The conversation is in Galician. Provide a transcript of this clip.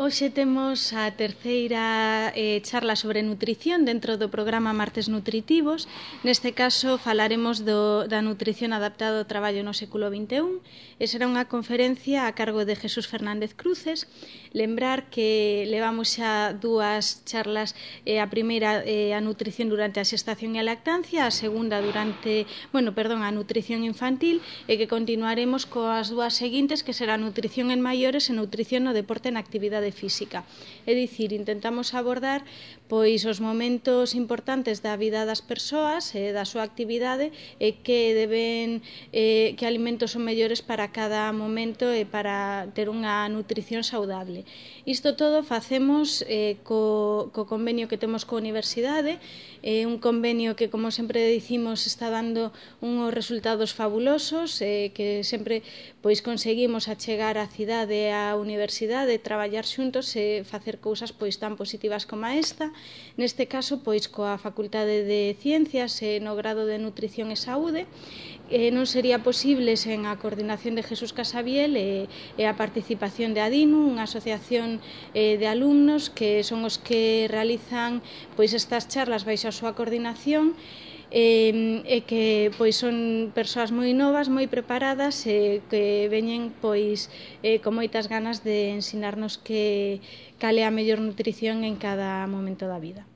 Hoxe temos a terceira charla sobre nutrición dentro do programa Martes Nutritivos. Neste caso falaremos da nutrición adaptada ao traballo no século XXI. E será unha conferencia a cargo de Jesús Fernández Cruces. Lembrar que levamos xa dúas charlas, a primeira a nutrición durante a xestación e a lactancia, a segunda a nutrición infantil, e que continuaremos coas dúas seguintes, que será nutrición en maiores e nutrición no deporte e na actividade física. É dicir, intentamos abordar os momentos importantes da vida das persoas e da súa actividade e que alimentos son mellores para cada momento e para ter unha nutrición saudable. Isto todo facemos co convenio que temos coa Universidade, un convenio que, como sempre dicimos, está dando uns resultados fabulosos, que sempre conseguimos achegar a cidade e a Universidade, traballar xuntos e facer cousas tan positivas como esta. Neste caso, coa Facultade de Ciencias e no grado de Nutrición e Saúde, non sería posible sen a coordinación de Jesús Casabiel e a participación de ADINU, unha asociación de alumnos que son os que realizan estas charlas baixo a súa coordinación, e que son persoas moi novas, moi preparadas e que veñen con moitas ganas de ensinarnos cal é a mellor nutrición en cada momento da vida.